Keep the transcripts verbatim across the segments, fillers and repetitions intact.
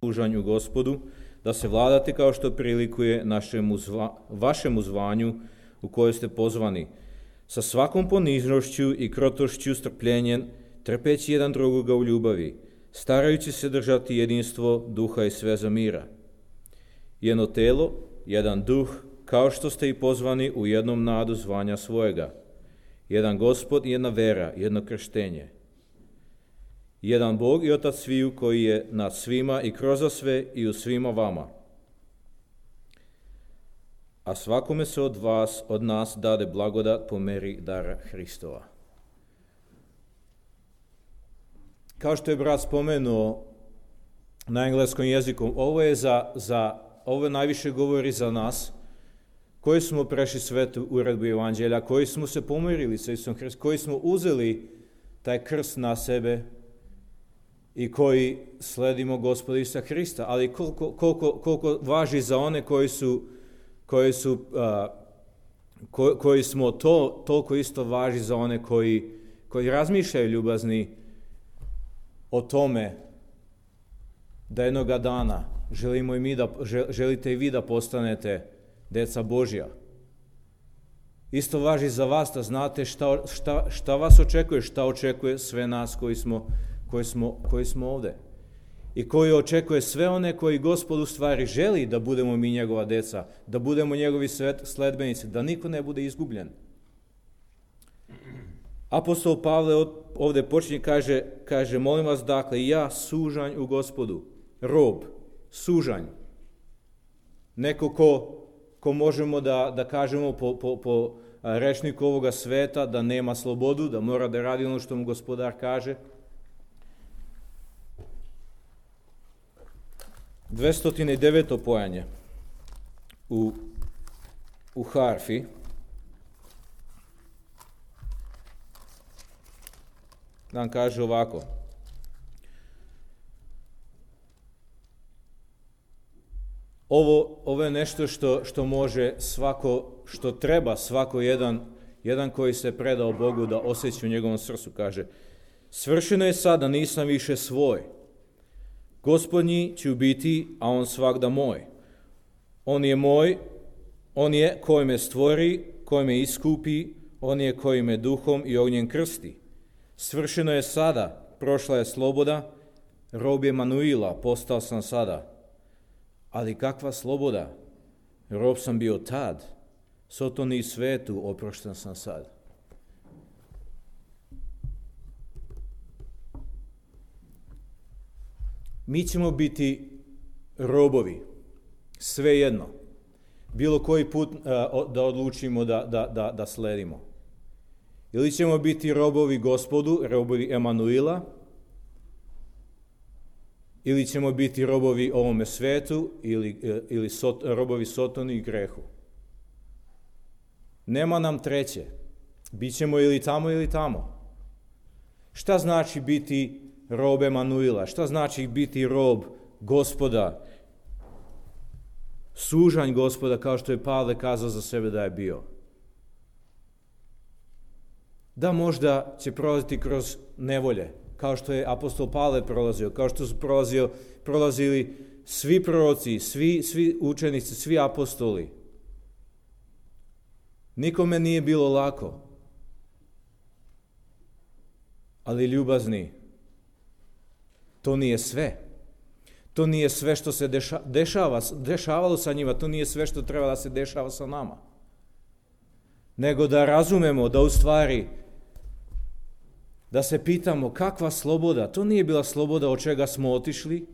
služanju Gospodu, da se vladate kao što prilikuje našemu zva, vašemu zvanju u koje ste pozvani, sa svakom poniznošću i krotošću, strpljenjem, trpeći jedan drugoga u ljubavi, starajući se držati jedinstvo duha i sveza mira. Jedno telo, jedan duh, kao što ste i pozvani u jednom nadu zvanja svojega. Jedan Gospod, jedna vera, jedno krštenje. Jedan Bog i Otac sviju koji je nad svima i kroz sve i u svima vama. A svakome se od vas, od nas dade blagodat po meri dara Hristova. Kao što je brat spomenuo na engleskom jeziku, ovo je za, za ovo najviše govori za nas koji smo prešli svetu uredbu evanđelja, koji smo se pomirili sa Isusom Hristom, koji smo uzeli taj krst na sebe i koji sledimo Gospoda Isusa Hrista, ali koliko, koliko, koliko važi za one koji su, koji, su, uh, ko, koji smo to, toliko isto važi za one koji, koji razmišljaju ljubazni o tome da jednoga dana želimo i mi da, želite i vi da postanete deca Božja. Isto važi za vas da znate šta, šta, šta vas očekuje, šta očekuje sve nas koji smo, koji smo, koji smo ovde. I koji očekuje sve one koji Gospod u stvari želi da budemo mi njegova deca, da budemo njegovi sledbenici, da niko ne bude izgubljen. Apostol Pavle ovde počinje, kaže, kaže, molim vas dakle, ja sužanj u Gospodu, rob, sužanj, neko ko, ko možemo da, da kažemo po, po, po rečniku ovoga sveta da nema slobodu, da mora da radi ono što mu Gospodar kaže. dvesta deveto pojanje u, u harfi. Nam kaže ovako. Ovo, ovo je nešto što, što može svako, što treba svako jedan, jedan koji se predao Bogu da osjeća u njegovom srcu. Kaže, svršeno je sada, nisam više svoj. Gospodnji ću biti, a on svagda moj. On je moj, on je koji me stvori, koji me iskupi, on je koji me duhom i ognjem krsti. Svršeno je sada, prošla je sloboda, rob je Emanuila, postao sam sada. Ali kakva sloboda? Rob sam bio tad, sotoni i svetu oprošten sam sad. Mi ćemo biti robovi, svejedno, bilo koji put uh, da odlučimo da, da, da, da sledimo. Ili ćemo biti robovi Gospodu, robovi Emanuila, ili ćemo biti robovi ovome svetu, ili, ili sot, robovi Sotoni i grehu. Nema nam treće. Bićemo ili tamo ili tamo. Šta znači biti rob Emanuila? Šta znači biti rob Gospoda? Sužanj Gospoda, kao što je Pavle kazao za sebe da je bio. Da možda će prolaziti kroz nevolje, kao što je apostol Pavle prolazio, kao što su prolazio, prolazili svi proroci, svi, svi učenici, svi apostoli. Nikome nije bilo lako. Ali ljubazni, to nije sve. To nije sve što se deša, dešava, dešavalo sa njima, to nije sve što treba da se dešava sa nama. Nego da razumemo da u stvari, da se pitamo kakva sloboda, to nije bila sloboda od čega smo otišli,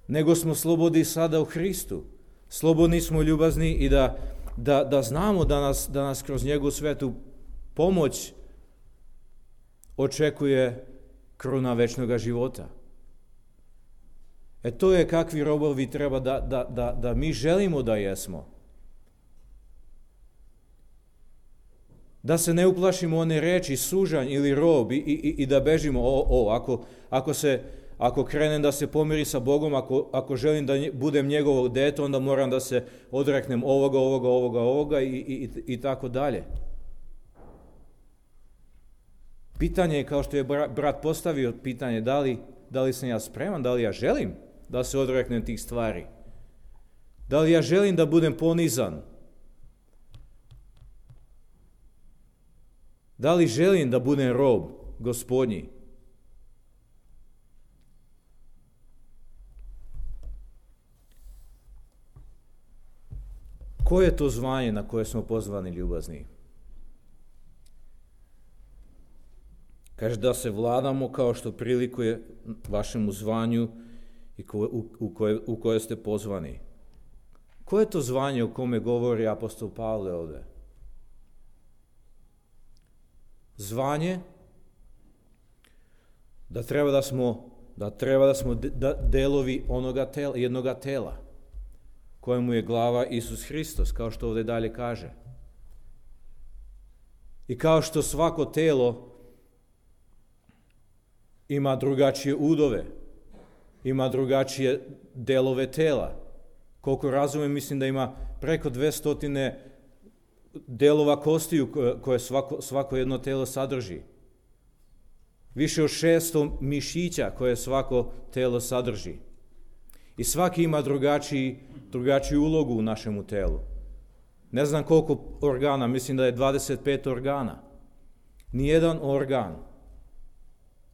nego smo slobodni sada u Hristu. Slobodni smo, ljubazni i da, da, da znamo da nas, da nas kroz njegovu svetu pomoć očekuje kruna večnog života. E to je kakvi robovi treba da, da, da, da mi želimo da jesmo. Da se ne uplašimo one reči sužanj ili rob i, i, i da bežimo. O, o, ako, ako, se, ako krenem da se pomiri sa Bogom, ako, ako želim da budem njegovo dete, onda moram da se odreknem ovoga, ovoga, ovoga, ovoga i, i, i tako dalje. Pitanje je, kao što je brat postavio pitanje, da li, da li sam ja spreman, da li ja želim da se odreknem tih stvari. Da li ja želim da budem ponizan? Da li želim da budem rob Gospodnji? Koje je to zvanje na koje smo pozvani, ljubazni? Kaže da se vladamo kao što prilikuje vašemu zvanju i ko, u, u, koje, u koje ste pozvani. Koje je to zvanje o kome govori apostol Pavle ovdje? Zvanje da treba da smo, da treba da smo de, da, delovi onoga tela, jednoga tela, kojemu je glava Isus Hristos, kao što ovdje dalje kaže. I kao što svako telo ima drugačije udove, ima drugačije delove tela. Koliko razumijem, mislim da ima preko dvestotine delova kostiju koje svako, svako jedno telo sadrži. Više od šesto mišića koje svako telo sadrži. I svaki ima drugačiji, drugačiju ulogu u našemu telu. Ne znam koliko organa, mislim da je dvadeset pet organa. Nijedan organ,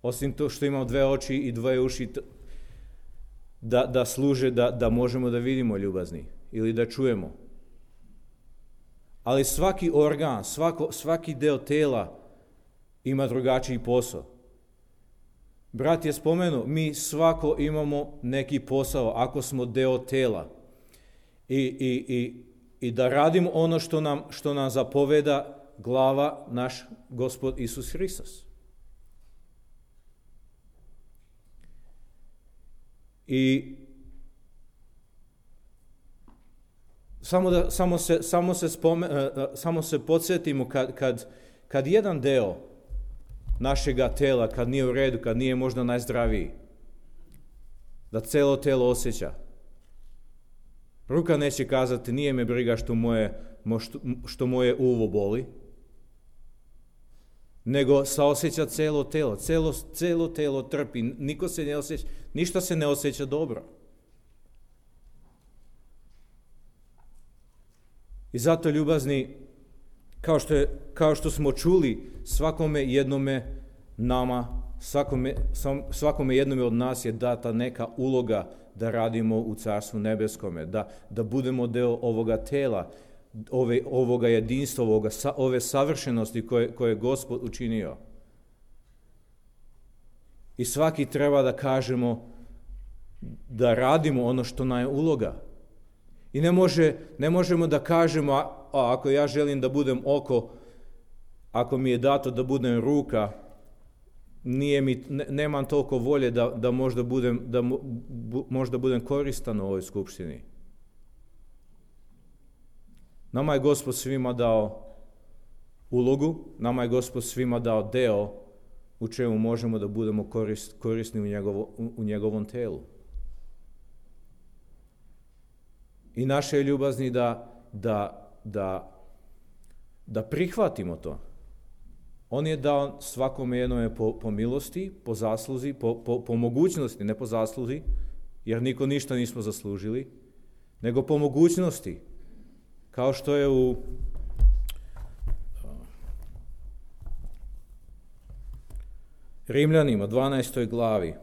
osim to što imamo dve oči i dvoje uši, da, da služe da, da možemo da vidimo, ljubazni, ili da čujemo. Ali svaki organ, svako, svaki deo tela ima drugačiji posao. Brat je spomenuo, mi svako imamo neki posao ako smo deo tela. I, i, i, i da radimo ono što nam, što nam zapoveda glava, naš Gospod Isus Hristos. I samo, da, samo, se, samo, se, spome, samo se podsjetimo kad, kad, kad jedan deo našega tela, kad nije u redu, kad nije možda najzdraviji, da celo telo osjeća. Ruka neće kazati, nije me briga što moje, što, što moje uvo boli, nego saosjeća celo telo, celo, celo telo trpi, niko se ne osjeća, ništa se ne osjeća dobro. I zato, ljubazni, kao što, je, kao što smo čuli, svakome jednome nama, svakome, svakome jednome od nas je data neka uloga da radimo u Carstvu nebeskome, da, da budemo deo ovoga tela, ove, ovoga jedinstva, ovoga, ove savršenosti koje, koje je Gospod učinio. I svaki treba da kažemo da radimo ono što nam je uloga. I ne, može, ne možemo da kažemo, a, a ako ja želim da budem oko, ako mi je dato da budem ruka, nije mi, ne, nemam toliko volje da, da, možda budem, da bu, možda budem koristan u ovoj skupštini. Nama je Gospod svima dao ulogu, nama je Gospod svima dao deo u čemu možemo da budemo korist, korisni u, njegovo, u, u njegovom telu. I naše je ljubazni da, da, da, da prihvatimo to. On je dao svakome jednome po, po milosti, po zasluzi, po, po, po mogućnosti, ne po zasluzi, jer niko ništa nismo zaslužili, nego po mogućnosti. Kao što je u Rimljanima, dvanaestoj glavi.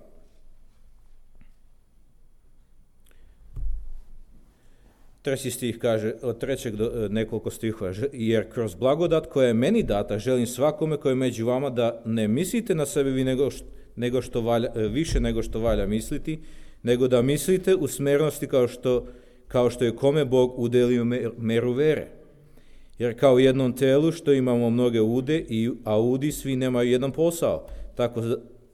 Treći stih kaže, od trećeg do nekoliko stihova, jer kroz blagodat koja je meni data, želim svakome koji je među vama da ne mislite na sebe vi nego, nego što valja, više nego što valja misliti, nego da mislite u smernosti kao što, kao što je kome Bog udelio meru vere. Jer kao u jednom telu što imamo mnoge ude, a udi svi nemaju jedan posao, tako,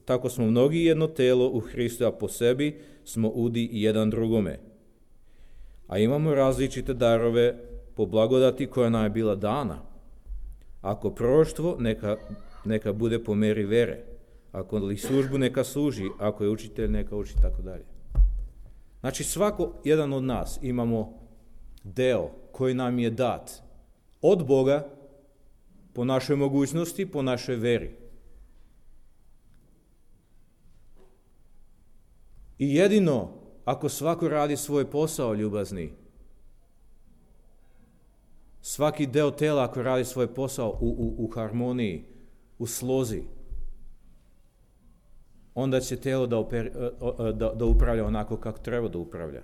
tako smo mnogi jedno telo u Hristu, a po sebi smo udi jedan drugome. A imamo različite darove po blagodati koja nam je bila dana. Ako proroštvo, neka, neka bude po meri vere. Ako li službu, neka služi. Ako je učitelj, neka uči, tako dalje. Znači, svako jedan od nas imamo deo koji nam je dat od Boga po našoj mogućnosti, po našoj veri. I jedino ako svako radi svoj posao, ljubazni, svaki deo tela ako radi svoj posao u, u, u harmoniji, u slozi, onda će telo da, oper, da, da upravlja onako kako treba da upravlja.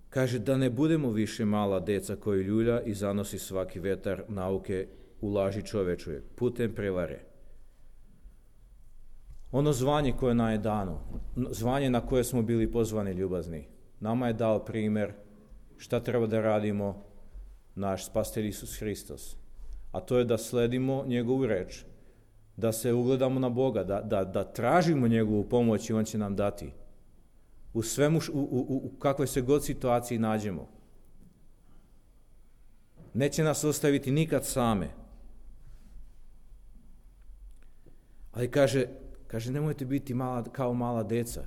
Kaže da ne budemo više mala deca koji ljulja i zanosi svaki vetar nauke u laži čovečuje, putem prevare. Ono zvanje koje nam je dano, zvanje na koje smo bili pozvani, ljubazni, nama je dao primjer šta treba da radimo naš Spasitelj Isus Hristos. A to je da sledimo njegovu reč, da se ugledamo na Boga, da, da, da tražimo njegovu pomoć i on će nam dati. U svemu, u, u, u kakvoj se god situaciji nađemo. Neće nas ostaviti nikad same. Ali kaže, kaže nemojte biti mala, kao mala deca,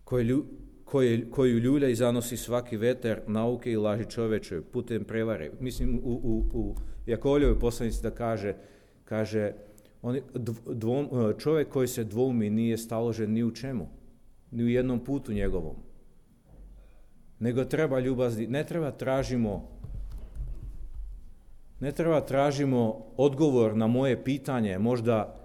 koje, koje, koju ljulja i zanosi svaki vetar nauke i laži čoveče putem prevare. Mislim, u, u, u Jakovljevoj poslanici da kaže, kaže on, dvom, čovjek koji se dvoumi nije staložen ni u čemu, ni u jednom putu njegovom. Nego treba ljubazni, ne treba tražimo ne treba tražimo odgovor na moje pitanje, možda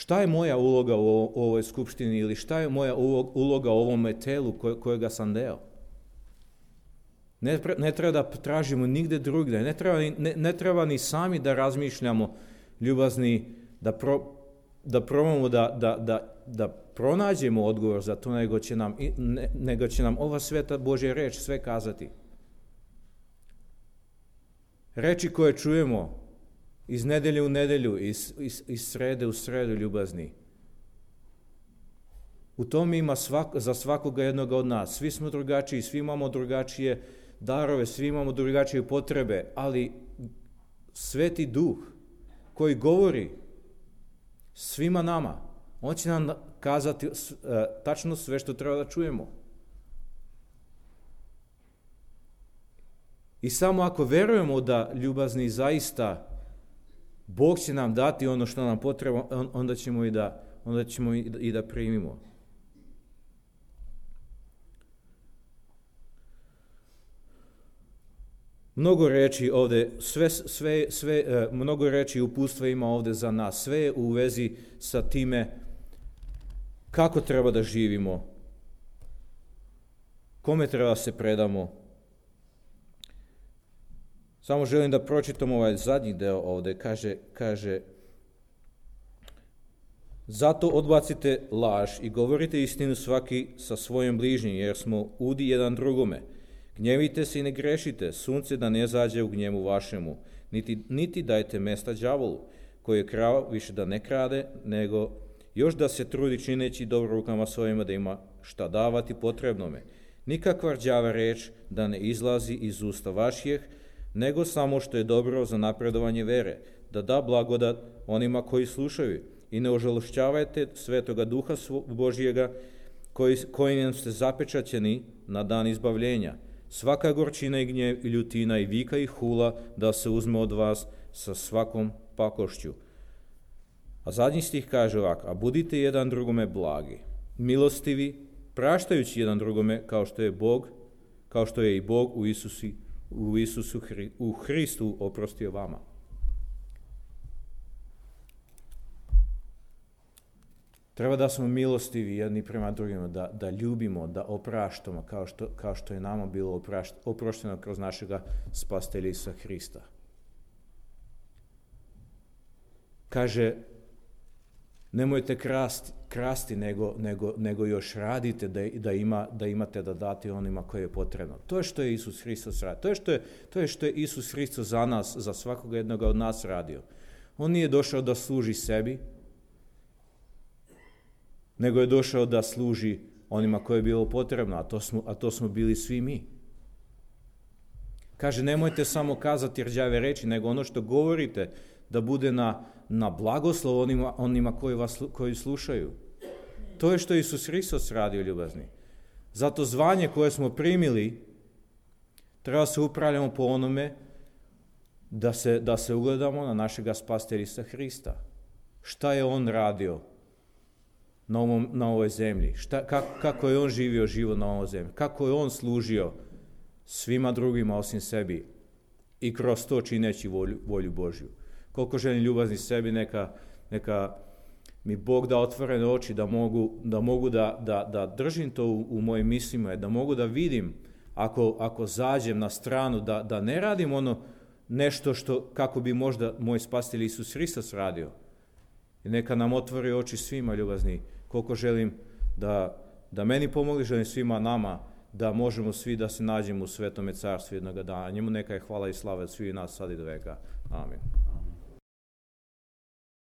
šta je moja uloga u ovoj skupštini ili šta je moja uloga u ovom telu kojega sam deo. Ne, ne treba da tražimo nigde drugde, ne treba, ne, ne treba ni sami da razmišljamo, ljubazni, da, pro, da probamo da, da, da, da pronađemo odgovor za to, nego će nam, ne, nego će nam ova sveta Božja reč sve kazati. Reči koje čujemo iz nedelje u nedelju, iz, iz, iz srede u sredu, ljubazni. U tom ima svak, za svakoga jednoga od nas. Svi smo drugačiji, svi imamo drugačije darove, svi imamo drugačije potrebe, ali Sveti Duh koji govori svima nama, on će nam kazati uh, tačno sve što treba da čujemo. I samo ako verujemo da, ljubazni, zaista Bog će nam dati ono što nam potreba, onda ćemo i da, onda ćemo i da primimo. Mnogo reči ovde, sve, sve, sve, mnogo reči i upustva ima ovde za nas. Sve je u vezi sa time kako treba da živimo, kome treba da se predamo. Samo želim da pročitam ovaj zadnji deo ovde. Kaže, kaže, zato odbacite laž i govorite istinu svaki sa svojim bližnjim, jer smo udi jedan drugome. Gnjevite se i ne grešite, sunce da ne zađe u gnjevu vašemu, niti, niti dajte mesta đavolu, koji je krao više da ne krade, nego još da se trudi čineći dobro rukama svojima da ima šta davati potrebnome. Nikakva rđava reč da ne izlazi iz usta vaših, nego samo što je dobro za napredovanje vere, da da blagodat onima koji slušaju i ne ožalošćavajte Svetoga Duha Božijega koji, kojim ste zapečaćeni na dan izbavljenja. Svaka gorčina i gnjev i ljutina i vika i hula da se uzme od vas sa svakom pakošću. A zadnji stih kaže ovako, a budite jedan drugome blagi, milostivi, praštajući jedan drugome kao što je Bog, kao što je i Bog u Isusi u Isusu, u Hristu oprostio vama. Treba da smo milostivi jedni prema drugima, da, da ljubimo, da opraštamo kao što, kao što je nama bilo oprašt, oprošteno kroz našega Spasitelja Isusa Hrista. Kaže, nemojte krasti, krasti nego, nego, nego još radite da, da, ima, da imate da date onima koje je potrebno. To je što je Isus Hristos radio. To je što je, to je što je Isus Hristos za nas, za svakoga jednoga od nas radio. On nije došao da služi sebi, nego je došao da služi onima koje je bilo potrebno, a to smo, a to smo bili svi mi. Kaže, nemojte samo kazati rđave reči, nego ono što govorite da bude na, na blagoslov onima, onima koji vas koji slušaju. To je što je Isus Hristos radio, ljubazni. Zato zvanje koje smo primili Treba se upravljamo po onome da se, da se ugledamo na našega spasitelja Isusa Hrista. Šta je on radio na, ovom, na ovoj zemlji? Šta, kako, kako je on živio život na ovoj zemlji? Kako je on služio svima drugima osim sebi i kroz to čineći volju, volju Božju? Koliko želim ljubazni sebi, neka, neka mi Bog da otvorene oči, da mogu da, mogu da, da, da držim to u, u mojim mislima, da mogu da vidim ako, ako zađem na stranu, da, da ne radim ono nešto što, kako bi možda moj spasitelj Isus Hristos radio. I neka nam otvori oči svima, ljubazni, koliko želim da, da meni pomogli, želim svima nama, da možemo svi da se nađemo u svetome carstvu jednoga dana. Njemu neka je hvala i slava od svih nas sad i do veka. Amin.